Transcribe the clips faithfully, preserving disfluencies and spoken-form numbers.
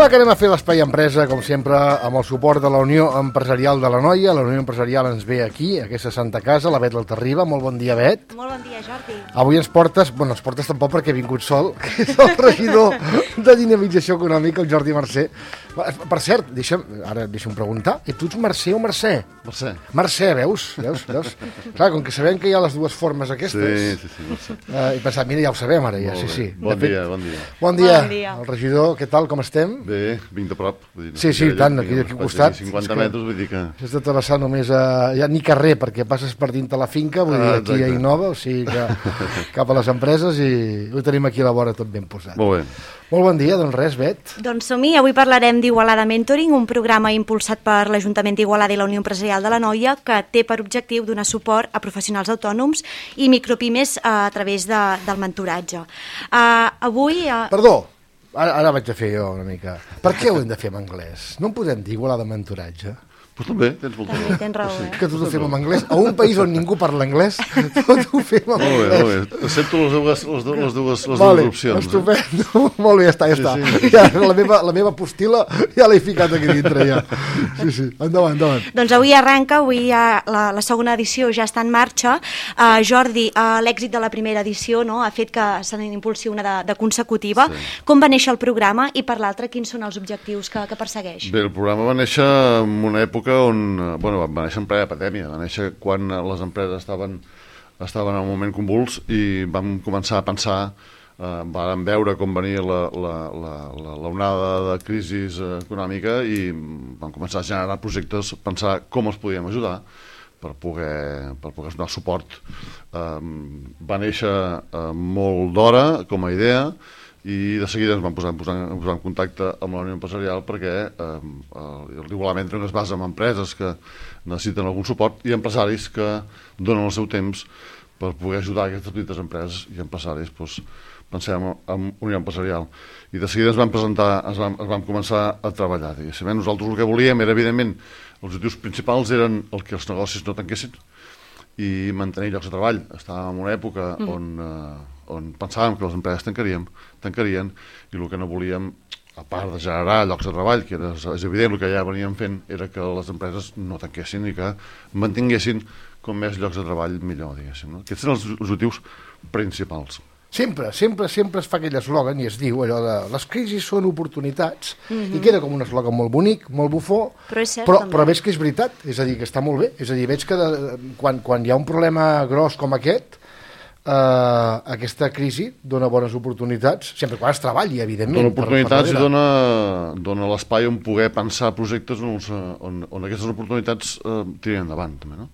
ara que anem a fer l'Espai Empresa, com sempre, amb el suport de la Unió Empresarial de l'Anoia. La Unió Empresarial ens ve aquí, a aquesta santa casa, la Bet l'Altarriba. Molt bon dia, Bet. Molt bon dia, Jordi. Avui ens portes, bueno, ens portes tampoc perquè he vingut sol, que és el regidor de Dinamització Econòmica, el Jordi Mercè. Per cert, deixa'm, ara deixa'm preguntar, i tu ets Mercè o Mercè? Mercè. Mercè, veus? veus? veus? Clar, com que sabem que hi ha les dues formes aquestes. Sí, sí, sí, Mercè. Eh, he pensat, mira, ja ho sabem ara, ja, sí, sí. Bon dia, bon dia. Bon dia. Bon dia. El regidor, què tal, com estem? Bé, vinc de prop. Vull dir, no Sí, sí, allà, tant, aquí, aquí al costat. cinquanta metres, vull dir que... Has de travessar només a... Ja ni carrer, perquè passes per dintre la finca, vull dir, Ah, aquí a exacte. Innova, o sigui que cap a les empreses, i ho tenim aquí a la vora tot ben posat. Molt bé. Molt bon dia, doncs res, Bet. Doncs som-hi, avui parlarem d'Igualada Mentoring, un programa impulsat per l'Ajuntament d'Igualada i la Unió Empresarial de l'Anoia, que té per objectiu donar suport a professionals autònoms i micropimes a través de, del mentoratge. Uh, avui... Uh... Perdó, ara, ara vaig a fer jo una mica. Per què ho hem de fer en anglès? No en podem dir igualar de mentoratge? Pues també, tens molta També raó. tens raó, eh? Que tot ho fem en anglès? A un país on ningú parla anglès, tot ho fem en Molt bé, anglès. molt bé. Accepto les dues, les dues, les dues, les Vale, dues opcions. estupendo. Molt bé, ja està, ja Sí, està. sí. Ja, la, meva, la meva postila ja l'he ficat aquí dintre, ja. Sí, sí, endavant, endavant. Doncs avui arrenca, avui ja la, la segona edició ja està en marxa. Uh, Jordi, uh, l'èxit de la primera edició, no?, ha fet que se n'impulsi una de, de consecutiva. Sí. Com va néixer el programa i per l'altra quins són els objectius que, que persegueix? Bé, el programa va néixer en una època on... Bueno, va néixer en plena pandèmia, va néixer quan les empreses estaven, estaven en un moment convuls i vam començar a pensar, eh, vam veure com venia la, la, la, la, l'onada de crisi econòmica i vam començar a generar projectes, pensar com els podíem ajudar per poder, per poder donar suport. Eh, va néixer eh, molt d'hora com a idea, i de seguida ens vam posar, posar, posar en contacte amb la Unió Empresarial perquè eh, l'Igualament es basa en empreses que necessiten algun suport i empresaris que donen el seu temps per poder ajudar aquestes petites empreses i empresaris, doncs, pensem en Unió Empresarial. I de seguida ens vam presentar, ens vam, ens vam començar a treballar. Diguéssim. Nosaltres el que volíem era, evidentment, els objectius principals eren el que els negocis no tanquessin i mantenir llocs de treball. Estàvem en una època mm. on... Eh, on pensàvem que les empreses tancarien, tancarien i el que no volíem, a part de generar llocs de treball, que era, és evident el que ja veníem fent, era que les empreses no tanquessin i que mantinguessin com més llocs de treball millor, diguéssim. No? Aquests eren els objectius principals. Sempre, sempre, sempre es fa aquell eslògan i es diu allò de les crisis són oportunitats, Mm-hmm. i queda com un eslògan molt bonic, molt bufó, Però és cert, però, també. però veig que és veritat, és a dir, que està molt bé, és a dir, veig que de, quan, quan hi ha un problema gros com aquest, Uh, aquesta crisi dona bones oportunitats, sempre quan es treballi, evidentment. Dona oportunitats per, per i dona, dona l'espai on poder pensar projectes on, on, on aquestes oportunitats uh, tiren endavant, també, no?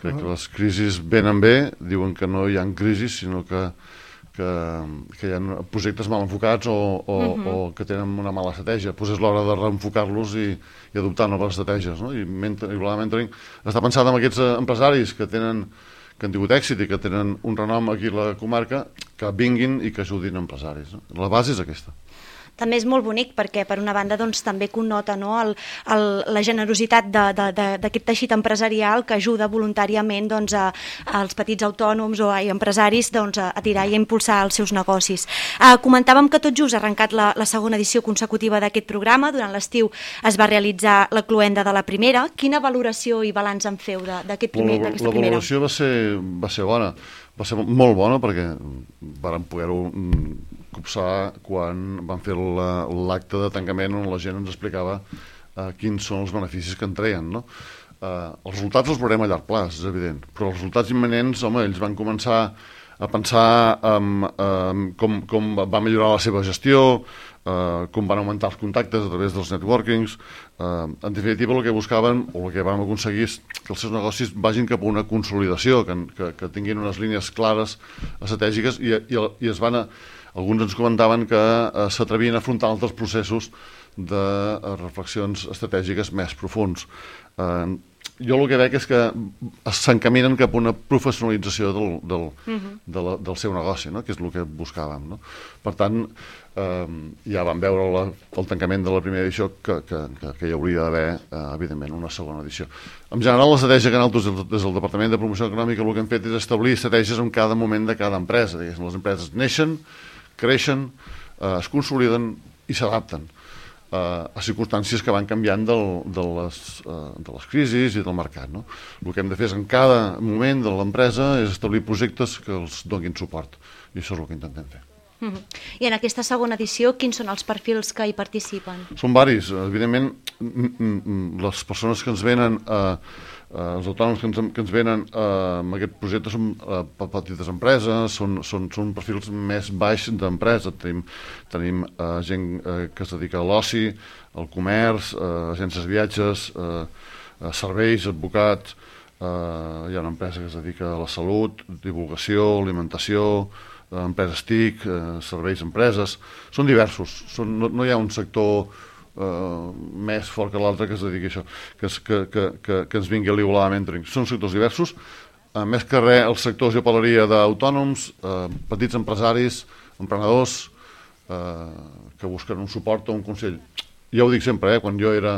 Crec uh -huh. que les crisis venen bé, diuen que no hi ha crisis, sinó que, que, que hi ha projectes mal enfocats o, o, uh -huh. o que tenen una mala estratègia. Pues és l'hora de reenfocar-los i, i adoptar noves estratègies, no? I Igualada Mentoring està pensat en aquests empresaris que tenen que han tingut èxit i que tenen un renom aquí a la comarca, que vinguin i que ajudin empresaris. No? La base és aquesta. També és molt bonic perquè, per una banda, doncs, també connota, no, el, el, la generositat d'aquest teixit empresarial que ajuda voluntàriament, doncs, a, als petits autònoms o a empresaris, doncs, a, a tirar i a impulsar els seus negocis. Uh, comentàvem que tot just ha arrencat la, la segona edició consecutiva d'aquest programa. Durant l'estiu es va realitzar la cloenda de la primera. Quina valoració i balanç en feu d'aquest primer, La, d'aquesta la primera? valoració va ser, va ser bona. Va ser molt bona perquè vàrem poder-ho copsar quan vam fer l'acte de tancament on la gent ens explicava uh, quins són els beneficis que en treien, no? Uh, els resultats els veurem a llarg plaç, és evident, però els resultats imminents, home, ells van començar a pensar en um, com, com va millorar la seva gestió, uh, com van augmentar els contactes a través dels networkings. Uh, en definitiva, el que buscaven o el que vam aconseguir és que els seus negocis vagin cap a una consolidació, que, que, que tinguin unes línies clares, estratègiques, i, i, i es van a, alguns ens comentaven que uh, s'atrevien a afrontar altres processos de uh, reflexions estratègiques més profuns. Uh, jo el que veig és que s'encaminen cap a una professionalització del, del, uh-huh. de la, del seu negoci, no? Que és el que buscàvem, no? Per tant, eh, ja vam veure la, el tancament de la primera edició que, que, que, que hi hauria d'haver, eh, evidentment, una segona edició. En general, l'estratègia que nosaltres, des del Departament de Promoció Econòmica, el que hem fet és establir estratègies en cada moment de cada empresa. Les empreses neixen, creixen, eh, es consoliden i s'adapten. a circumstàncies que van canviant del, de, les, de les crisis i del mercat. No? El que hem de fer és, en cada moment de l'empresa, és establir projectes que els donin suport, i això és el que intentem fer. Mm-hmm. I en aquesta segona edició, quins són els perfils que hi participen? Són varis. Evidentment, les persones que ens venen, eh, els autònoms que ens, que ens venen eh, amb aquest projecte són eh, petites empreses, són, són, són perfils més baix d'empresa. Tenim, tenim eh, gent eh, que es dedica a l'oci, al comerç, eh, agències de viatges, eh, serveis, advocats, eh, hi ha una empresa que es dedica a la salut, divulgació, alimentació, empreses T I C, eh, serveis empreses, són diversos, són, no, no hi ha un sector eh, més fort que l'altre que es dediqui a això, que, que, que, que, que ens vingui a l'Igualada Mentoring. Són sectors diversos, eh, més que res el sector, jo parlaria d'autònoms, eh, petits empresaris, emprenedors, eh, que busquen un suport o un consell. Ja ho dic sempre, eh, quan jo era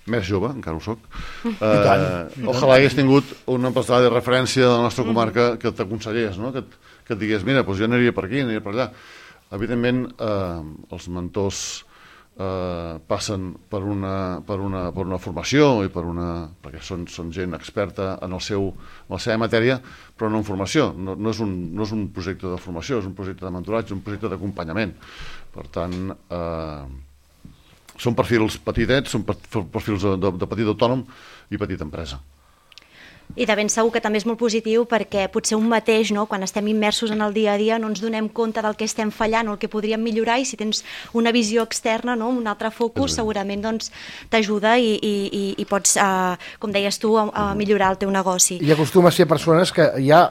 més jove, encara ho soc, eh, ojalà hagués tingut un empresari de referència de la nostra comarca que t'aconsellés, no? que, que et digués, mira, doncs jo aniria per aquí, aniria per allà. Evidentment, eh, els mentors eh, passen per una, per, una, per una formació, i per una, perquè són, són gent experta en, el seu, en la seva matèria, però no en formació. No, no, és un, no és un projecte de formació, és un projecte de mentoratge, un projecte d'acompanyament. Per tant, eh, són perfils petitets, són perfils de, de, de petit autònom i petita empresa. I de ben segur que també és molt positiu, perquè potser un mateix, no, quan estem immersos en el dia a dia, no ens donem compte del que estem fallant o el que podríem millorar, i si tens una visió externa, no, un altre focus, segurament doncs, t'ajuda i, i, i pots, uh, com deies tu, a, a millorar el teu negoci. I acostuma a ser persones que ja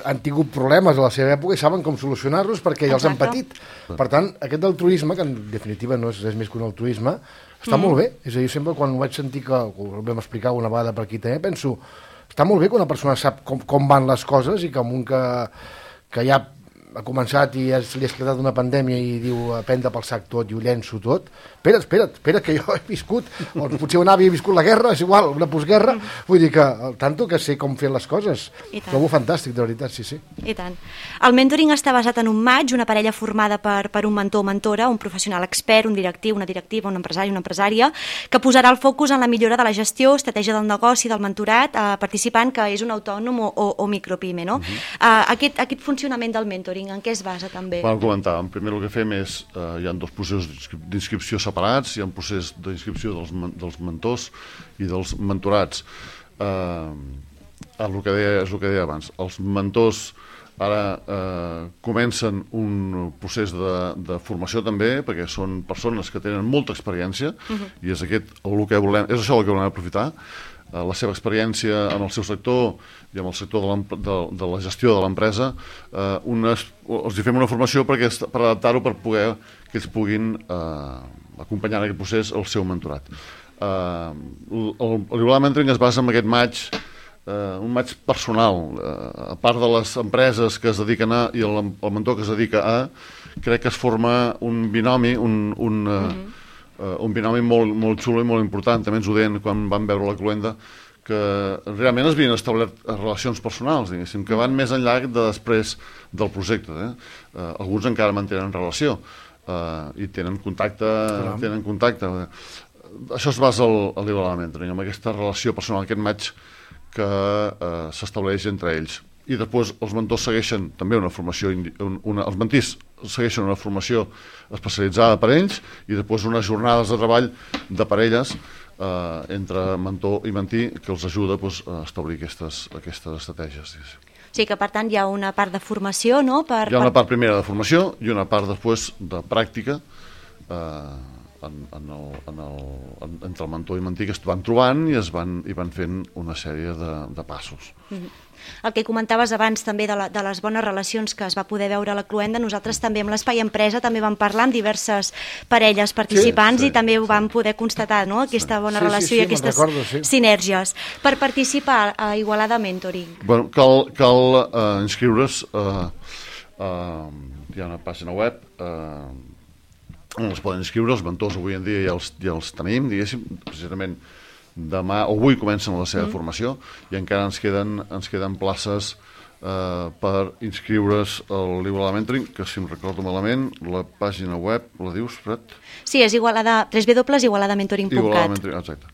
han tingut problemes a la seva època i saben com solucionar-los perquè ja els han patit. Per tant, aquest altruisme, que en definitiva no és res més que un altruisme, està mm. molt bé. És a dir, sempre quan ho vaig sentir, que ho vam explicar una vegada per aquí també, penso, està molt bé que una persona sap com, com van les coses, i que un que, que ja ha començat i ja li ha esclatat una pandèmia i diu a prendre pel sac tot i ho llenço tot. Espera't, espera't, espera't, que jo he viscut, o potser un avi ha viscut la guerra, és igual, una postguerra, vull dir que, tanto que sé com fer les coses. Trobo fantàstic, de veritat, sí, sí. I tant. El mentoring està basat en un match, una parella formada per, per un mentor o mentora, un professional expert, un directiu, una directiva, un empresari, una empresària, que posarà el focus en la millora de la gestió, estratègia del negoci, del mentorat, eh, participant que és un autònom o, o, o micropyme, no? Uh-huh. eh, aquest, aquest funcionament del mentoring, en què es basa també? Vam comentar, en primer el que fem és, eh, hi ha dos processos d'inscripció separats, hi ha un procés d'inscripció dels, dels mentors i dels mentorats. Eh, el que deia, és el que deia abans, els mentors ara eh, comencen un procés de, de formació també, perquè són persones que tenen molta experiència, uh-huh. i és, aquest, el que volem, és això el que volem aprofitar, eh, la seva experiència en el seu sector i en el sector de, de, de la gestió de l'empresa, eh, unes, els hi fem una formació perquè, per adaptar-ho, per poder que ells puguin eh, acompanyar en aquest procés el seu mentorat. Uh, L'Igualada Mentoring es basa en aquest match, uh, un match personal. Uh, a part de les empreses que es dediquen a, i el, el mentor que es dedica a, crec que es forma un binomi, un, un, uh, uh-huh. uh, un binomi molt, molt xulo i molt important. També ens ho deien quan vam veure la cluenda, que realment es havien establert relacions personals, diguéssim, que van més enllà de després del projecte. Eh? Uh, alguns encara mantenen relació. Uh, i tenen contacte, Caram. tenen contacte. Això es basa al, al Igualada Mentoring, amb aquesta relació personal, aquest match que uh, s'estableix entre ells. I després els mentors segueixen també una formació, una, els mentís segueixen una formació especialitzada per ells, i després unes jornades de treball de parelles uh, entre mentor i mentí, que els ajuda pues, a establir aquestes, aquestes estratègies. O sigui que, per tant, hi ha una part de formació, no? Per, hi ha una part primera de formació i una part després de pràctica eh, en, en el, en el, en, entre el mentor i mentí, que es van trobant i, es van, i van fent una sèrie de, de passos. Mm-hmm. El que comentaves abans també de, la, de les bones relacions que es va poder veure a la cluenda, nosaltres també amb l'Espai Empresa també vam parlar amb diverses parelles participants, sí, sí, i també ho vam poder constatar, no? Aquesta bona sí, relació sí, sí, i aquestes recordo, sí. sinèrgies. Per participar a Igualada Mentoring? Bueno, cal cal uh, inscriure's, uh, uh, hi ha una pàgina web uh, on es poden inscriure, els mentors avui en dia ja els, ja els tenim, diguéssim, precisament demà o avui comencen la seva mm. formació, i encara ens queden, ens queden places eh, per inscriure's al l'Igualada Mentoring, que si em recordo malament, la pàgina web, la dius, Fred? Sí, és igualada, w w w punt igualada mentoring punt cat. Igualada Mentoring, exacte.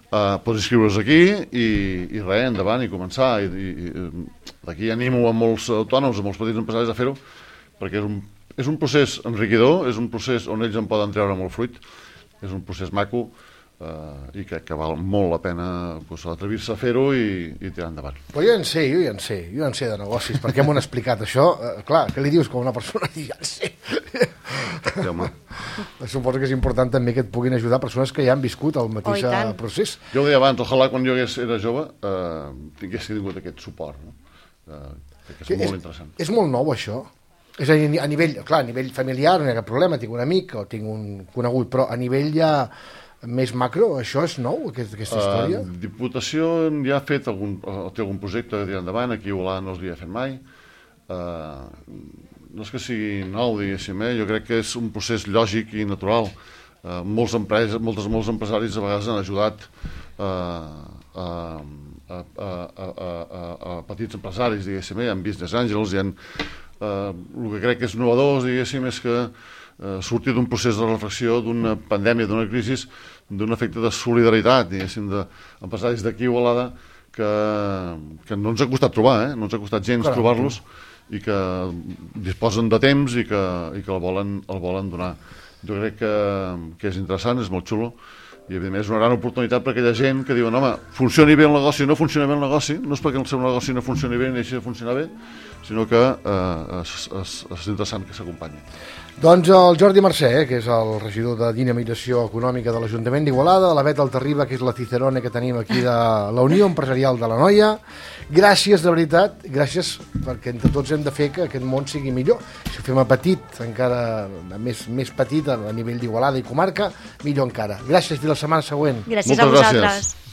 Uh, pots inscriure's aquí i, i res, endavant, i començar. I, i, i, d'aquí animo a molts autònoms, a molts petits empresaris a fer-ho, perquè és un, és un procés enriquidor, és un procés on ells en poden treure molt fruit, és un procés maco, Uh, i crec que val molt la pena pues, atrevir-se a fer-ho i, i tirar endavant. Però jo en sé, jo ja en sé, jo en sé de negocis, perquè m'ho han explicat això. Uh, clar, què li dius com una persona? Ja en sé. Sí, home. Suposo que és important també que et puguin ajudar persones que ja han viscut el mateix oh, procés. Jo ho deia abans, ojalà quan jo era jove uh, tingués tingut aquest suport, no? Uh, crec que és, que molt és interessant. És molt nou això. És a, a nivell, clar, a nivell familiar no hi ha cap problema, tinc un amic o tinc un conegut, però a nivell ja més macro, això és nou, aquest, aquesta història? Uh, Diputació ja ha fet algun, té algun projecte de tirar endavant, aquí a Igualada no s'havia fet mai. Uh, no és que sigui nou, diguéssim, eh? Jo crec que és un procés lògic i natural. Uh, molts empreses, moltes, molts empresaris a vegades han ajudat uh, a, a, a, a, a, a petits empresaris, diguéssim, eh? Hi ha business angels, hi ha, uh, el que crec que és innovador, diguéssim, és que Uh, sortir d'un procés de reflexió, d'una pandèmia, d'una crisi, d'un efecte de solidaritat, diguéssim, d'empresaris d'aquí a Igualada, que, que no ens ha costat trobar, eh? no ens ha costat gens Caram. trobar-los, i que disposen de temps i que, i que el, volen, el volen donar. Jo crec que, que és interessant, és molt xulo, i evidentment és una gran oportunitat per aquella gent que diuen, home, funcioni bé el negoci, no funciona bé el negoci, no és perquè el seu negoci no funcioni bé ni deixi de funcionar bé, sinó que eh, és, és, és interessant que s'acompanyi. Doncs el Jordi Mercè, eh, que és el regidor de Dinamització Econòmica de l'Ajuntament d'Igualada, la Bet Altarriba, que és la cicerone que tenim aquí de la Unió Empresarial de la Noia. Gràcies, de veritat, gràcies, perquè entre tots hem de fer que aquest món sigui millor. Si ho fem a petit, encara més, més petit a nivell d'Igualada i comarca, millor encara. Gràcies, fins la setmana següent. Gràcies Moltes a vosaltres. Gràcies.